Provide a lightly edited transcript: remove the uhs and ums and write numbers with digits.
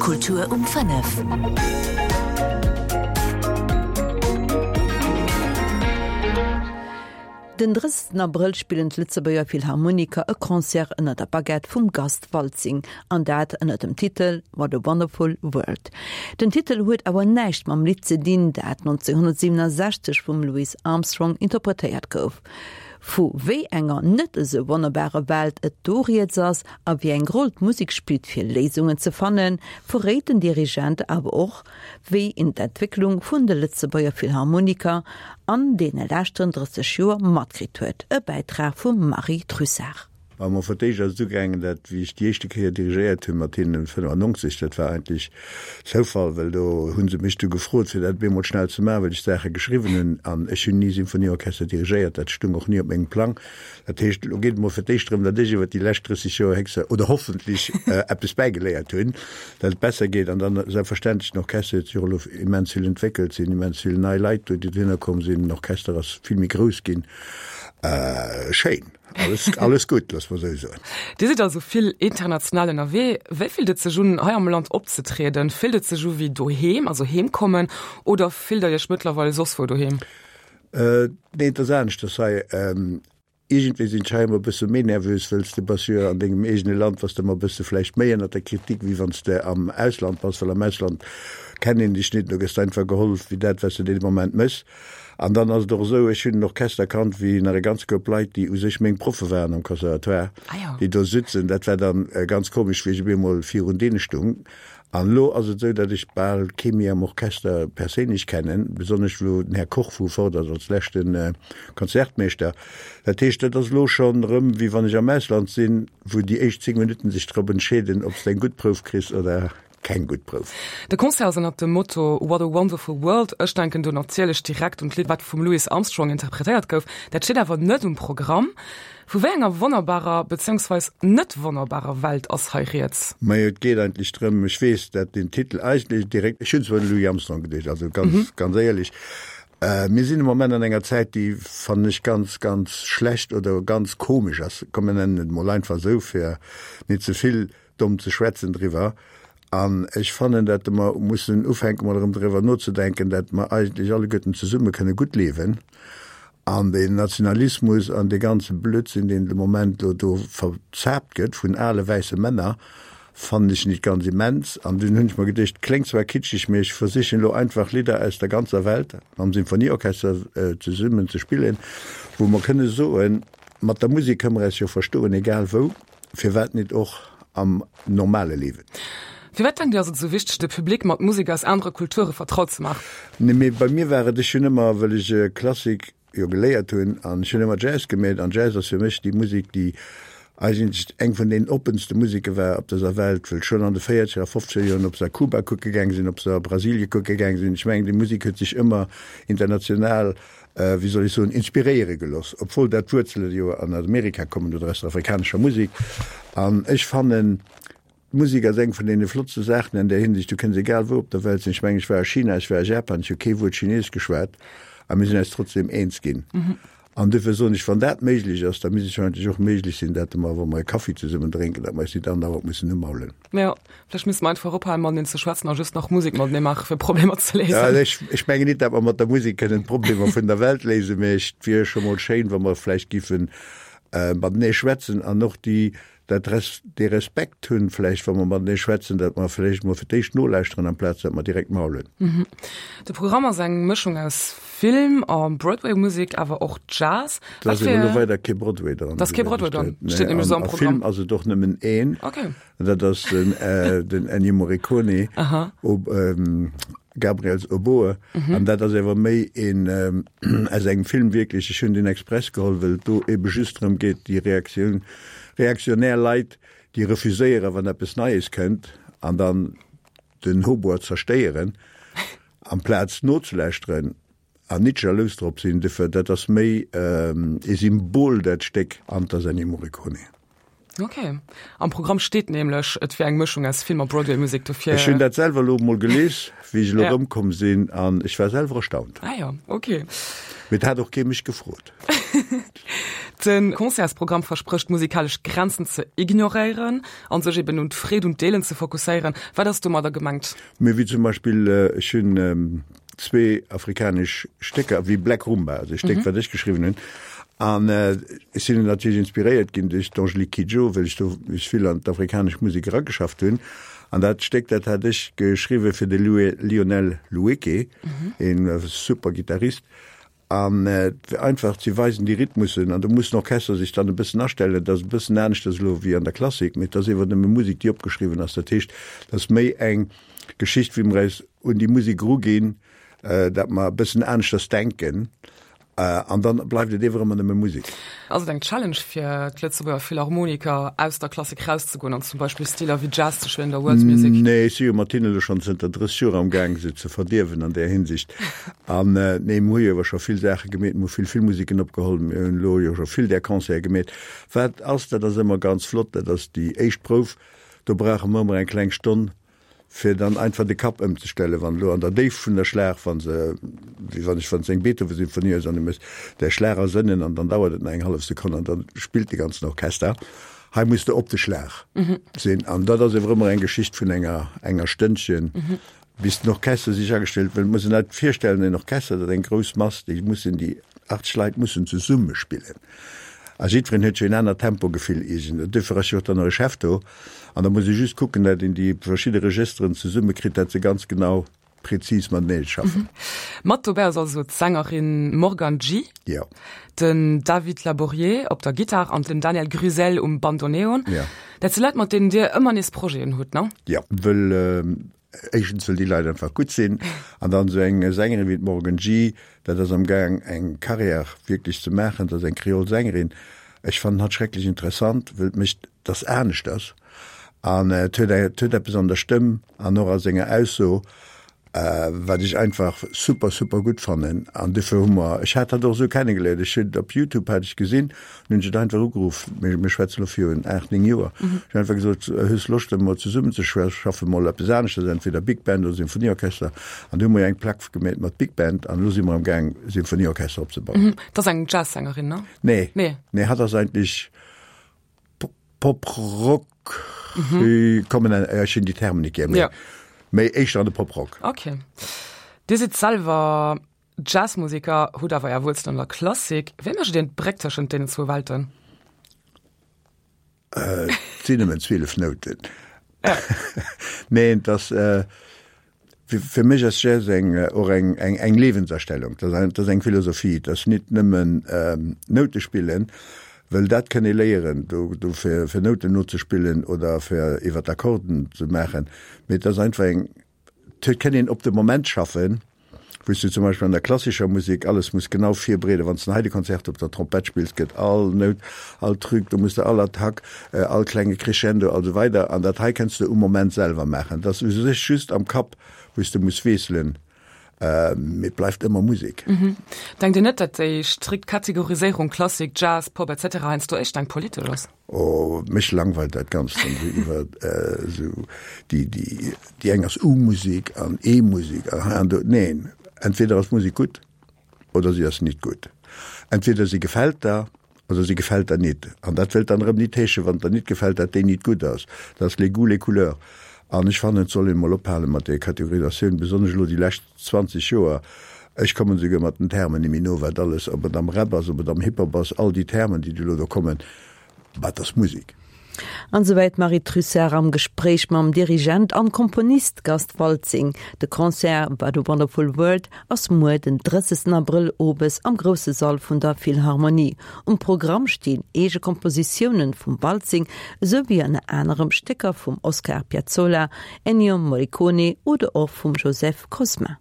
Kultur um 5. Den 30 Abrëll spillen d'Lëtzebuerger Philharmoniker e Concert ënner der Baguette vum Gast Waltzing, an dat ënner dem Titel What a Wonderful World. Den Titel huet awer näischt mam Lidd ze dinn, dat 1967 vum Louis Armstrong interpretéiert gouf. Vu wéi enger net esou wonnerbare Welt et do rieds ass a wéi eng Roll d'Musek spillt fir Léisungen ze fannen, verréit den Dirigent awer och, wéi een d'Entwécklung vun de Lëtzebuerger Philharmoniker an deene leschten 30 Joer matkritt huet. E Bäitrag vum Marie Trussart. Mä mer fir d'éischt ass et ugaangen, dat wéi ech déi éischte Kéier dirigéiert hunn mat hinnen 95, dat war eigentlech Zoufall, well do hu se mech du gefrot, fir dat bemol schnell ze maachen, well ech Saache geschriwwen hunn an ech hunn ni Symphonieorchester dirigéiert, dat stung och ni op mengem Plang. Dat heescht, elo geet et mol fir d'éischt drëm, datt ech iwwer déi lescht 30 Joer héchste oder hoffentlech eppes bäigeléiert hunn, datt et besser geet. An dann selbstverständlech, den Orchester huet sech och elo immens vill entwéckelt, sinn immens vill nei Leit do, déi dohinner komm sinn, den Orchester ass vill méi grouss ginn. Schéin. Alles, alles gutt, loosse mer esou soen. Dir sidd also vill international ënnerwee. Wéi fillt et sech un, hei am Land opzetrieden? Fillt et sech u wéi doheem, also heem kommen, oder fillt der Iech mëttlerweil soss wou doheem? Nee, et ass aneschters hei. Iergendwéi sinn ech hei ëmmer e bësse méi nervös, wëll s de bass jo an dengem eegene Land, bass de ëmmer e bësse vläicht méi ënnert der Kritik, wéi wann s de am Ausland bass, well am Ausland kennt een dech net, do gëss de einfach geholl wéi dat, wat s de dee Moment méchs. An dann ass et och esou, ech hunn en Orchester kannt, wéi nach e ganz Koup Leit, déi u sech meng Proffe waren am Conservatoire, déi do sitzen. Dat war dann ganz komesch, wéi ech op eemol virun deene stung. An elo ass et esou, datt ech bal kee méi am Orchester perséinlech kennen, besonnesch elo den Här Koch vu fort ass als leschte Konzertmeeschter. Dat heescht, dat ass elo schonn erëm, wéi wann ech am Ausland sinn, wou déi éischt 10 Minutten sech drop entscheeden, ob s de eng gutt Prouf kriss oder. Keng gutt Prouf. De Concert ass ënnert dem Motto What a Wonderful World. Ech denken do natierlech direkt un d'Lidd, wat vum Louis Armstrong interpretéiert gouf. Dat steet awer net um Programm. Vu wéi enger wonnerbarer, beziéungsweis net wonnerbarer Welt ass hei rieds? Majo, et geet eigentlech drëm, ech weess, dat den Titel eigentlech direkt, ech hunn zwar un de Louis Armstrong geduecht, also ganz, ganz éierlech, mir sinn am Moment an enger Zäit, déi, fannen ech, ganz, ganz schlecht oder ganz komesch ass, komm mir nennen et emol einfach esou, fir net ze vill domm ze schwätzen driwwer. An ech fannen, datt mer mussen ufänke mol erëm driwwer nozedenken, datt mer eigentlech alleguerten zesumme kënne gutt liewen. An deen Nationalismus an dee ganze Blödsinn, deen de Moment elo do verzaapt gëtt vun ale wäisse Männer, fannen ech nit ganz immens. An dunn hunn ech mer geduecht, kléngt zwar kitscheg, mee ech versichen elo einfach Lidder aus der ganzer Welt mam Symphonieorchester zesummen ze spillen, wou mer kënne soen, mat der Musek kënne mer eis jo verstoen, egal wou. Firwat nit och am normale Liewen? Firwat denkt Dir ass et esou wichteg, de Public mat Musek aus anere Kulture vertraut ze maachen? Nee, mee bei mir war et, ech hunn ëmmer, wëll ech Klassik jo geléiert hunn, an ech hunn ëmmer Jazz gemeet, an Jazz ass fir mech déi Musek, déi eigentlech eng vun deenen oppenste Museke war op dëser Welt, wëll schonn an de véierzeger a fofzeger Joren, ob se a Kuba kucke gaang sinn, ob se a Brasilie kucke gaang sinn, ech mengen, déi Musek huet sech ëmmer international wéi soll ech soen, inspiréiere geloss, obwuel dat d'Wuerzele jo an Amerika kommen oder aus der afrikanescher Musek. An ech fannen, d'Musek ass eng vun deene flottste Saachen an där Hinsicht. Du kënns egal wou op der Welt sinn. Ech mengen, ech war a China, ech war a Japan, ech hu kee Wuert Chineesesch geschwat a mir sinn eis trotzdem eens ginn. An duerfir soen ech, wann dat méiglech ass, da misst et jo eigentlech och méiglech sinn, dat mer, wa mer e Kaffi zesummen drénken, dat mer eis nit andauernd mussen umaulen. Jo. Vläicht misste mer einfach ophalen mateneen ze schwätzen a just nach Musek matenee maachen, fir Problemer ze léisen. Ja, ech, ech mengen nit, dat mer mat der Musek kënnen d'Problemer vun der Welt léisen, mä et wier scho mol schéin, wa mer vläicht giffen matenee schwätzen an och déi, dat Res, dee Respekt hunn vläicht, wa mer matenee schwätzen, dat mer vläicht mol fir d'éischt nolauschteren, amplaz dat mer direkt maulen. De Programm ass eng Mëschung aus Film a Broadway-Musek, awer och Jazz. Da ass elo weider kee Broadway dran. Da ass kee Broadway dran, steet nämlech esou am Programm. A Film ass et och nëmmen een. Okay. Dat ass den, äh, den Ennio Morricone, Aha. Ob, ähm, Gabriels Oboe. Mhm. An dat ass ewer méi een ähm, aus engem Film wierklech. Ech hunn den express geholl, well et do ebe just drëm geet, déi Reaktioun, reaktionär Leit, déi refuséieren, wann eppes Neies kënnt, an dann den Hautbois zerstéieren, amplaz nozelauschteren an nit jalous drop sinn. Dofir, dat ass méi ee Symbol, dat Stéck, an 't ass Ennio Morricone. Ok. Am Programm steet nämlech, et wier eng Mëschung aus Film a Broadway-Musek, dofir. Ech hunn dat selwer elo emol gelies, wéi ech elo erëmkomm sinn, an ech war selwer erstaunt. Ah jo, ok. Mee et hat och kee mech gefrot. De Concertsprogramm versprécht musikalesch Grenzen ze ignoréieren an sech eben un d'Freed un d'Deelen ze fokusséieren. Wat ass domadder gemengt? Mee wéi zum Beispill, ech hunn zwee afrikanesch Stécker, wéi Black Rumba, also e Stéck, wat ech geschriwwen hunn. An ech sinn natierlech inspiréiert ginn duerch d'Angélique Kidjo, well ech do mech vill an d'afrikanesch Musek erageschafft hunn. An dat Stéck, dat hat ech geschriwwe fir de Lionel Loueke, e super Gittarist. An fir einfach ze weisen, déi Rhythmussen, an do muss den Orchester sech dann e bëssen astellen, dat ass e bëssen aneschters elo wéi an der Klassik, mee et ass ewer nëmme Musek, déi opgeschriwwen ass. Dat heescht, et ass méi eng Geschicht, wéi mer eis un déi Musek eruginn, dat mer e bëssen aneschters denken. An dann bleift et ewer ëmmer nëmme Musek. Ass et eng Challenge fir d'Lëtzebuerger Philharmoniker aus der Klassik rauszegoen an zum Beispill Stiler wéi Jazz ze spillen oder World Music? Nee, ech si jo mat hinne elo schonn zënter 30 Joer am Gaang se ze verdierwen an där Hinsicht. An nee, mir hu jo ewer scho vill Saache gemeet, mir hu vill Filmmusiken opgeholl, mir hunn elo jo scho vill där Concerte gemeet. Wat ass, dat ass ëmmer ganz flott, dat ass déi éischt Prouf, do brauche mer ëmmer eng kleng Stonn, fir dann einfach de Kapp ëmzestellen, wann elo an der Déift vun der Schlag, wa se, wéi wann ech, wann s eng Beethoven-Symphonie hues an du méchs där Schlag a Sënnen an dann dauert et nach eng hallef Sekonn an dann spillt de ganzen Orchester. Hei muss de op de Schlag sinn an dat ass ewer ëmmer eng Geschicht vun enger, enger Stënnchen, bis den Orchester sech agestellt, well et muss een net virstellen, en Orchester, dat eng grouss Mass, déi mussen, déi 80 Leit mussen zesumme spillen a jiddwereen huet jo en anert Tempogefill iergend, duerfir ass jo och dann nach e Chef do. An da muss ee just kucken, dat een déi verschidde Registeren zesummekritt, dat se ganz genau prezis matenee schaffen. Mat dobäi ass also d'Sängerin Morgane G. Jo. Den David Laborier op der Gittar an den Daniel Gruselle um Bandoneon. Jo. Dat si Leit, mat deenen Dir ëmmer nees Projeten hutt, ne? Jo, wëll éischtens wëll déi Leit einfach gutt sinn an dann esou eng Sängerin wéi d'Morgan G. Dat ass am Gaang eng Carrière wierklech ze maachen, dat ass eng Kreol Sängerin. Ech fannen hatt schrecklech interessant, wëll et mécht dass aneschters an et huet et huet eppes an der Stëmm an och a senger Ausso, wat ech einfach super super gutt fannen an dofir hu mer, ech hat hatt och esou kennegeléiert, ech hunn op Youtube hat ech gesinn, hunn ech et einfach ugeruff, mir mir schwätzen elo virun 8, 9 Joer, ech hunn einfach gesot, hues Loscht emol zesummen ze schaffen, mol eppes aneschters, entweder Big Band oder Symphonieorchester an du hu mer eng Plack gemeet mat Big Band an elo si mer am Gaang Symphonieorchester opzebauen. Dat ass eng Jazzsängerin, ne? Nee, nee, hatt ass eigentlech Pop Rock mhm. kommen ech hunn déi Termen net gär méi. Ja. Méi éischter an de Pop Rock. Okay. Dir sidd selwer Jazzmusiker, hutt awer Är Wuerzelen an der Klassik. Wéi mécht Dir d'Bréck tëschent deenen zwou Welten? Äh, sinn nëmmen 12 Nouten. Ja. Nee, das äh, Fir mech ass Jazz eng och eng eng eng Liewensastellung, dat ass dat ass eng Philosophie, dat ass nit nëmmen Noute spillen, wëll dat kënn ee léieren, do do fir fir Nouten nozespillen oder fir iwwer d'Akkorden ze maachen, mee et ass einfach eng, et kënn een op de Moment schaffen, wou s du zum Beispill an der klassischer Musek alles muss genau virbereeden, wann s de en Haydn-Konzert op der Trompett spills, gëtt all Nout, all Truc, do muss de all Attack, all klenge Crescendo a sou weider an dat hei kënns de um Moment selwer maachen. Dat ass u sech just am Kapp, wou s de muss wiesselen, mee et bleift ëmmer Musek. Denkt Dir net, datt déi strikt Kategoriséierung Klassik, Jazz, Pop etc. Heiansdo éischter eng politesch ass? Oh, mech langweilt dat Ganzt dann esou iwwer esou déi, déi, déi eng ass U-Musik an E-Musik an hei an do. Neen, entweder ass d'Musik gutt oder si ass nit gutt. Entweder si gefält der oder si gefält der nit. An dat wëllt dann erëm nit heeschen, wann et der nit gefält, dat déi nit gutt ass. Dat ass les goûts, les couleurs. An ech fannen, et soll een emol ophale mat där Kategorisatioun, besonnesch elo déi lescht 20 Joer, ech kommen esouguer mat den Termen ni méi no, wat alles, ob et am Rap ass, ob et am Hip-Hop ass, all déi Termen, déi elo do kommen, wat ass Musek? An esouwäit d'Marie Trussart am Gespréich mam Dirigent an Komponist Gast Waltzing. De Concert What a Wonderful World ass muer den 30 Abrëll owes am grousse Sall vun der Philharmonie. Um Programm stinn eege Kompositiounen vum Waltzing, esou wéi ënner anerem Stécker vum Oscar Piazzolla, Ennio Morricone oder och vum Joseph Kosma.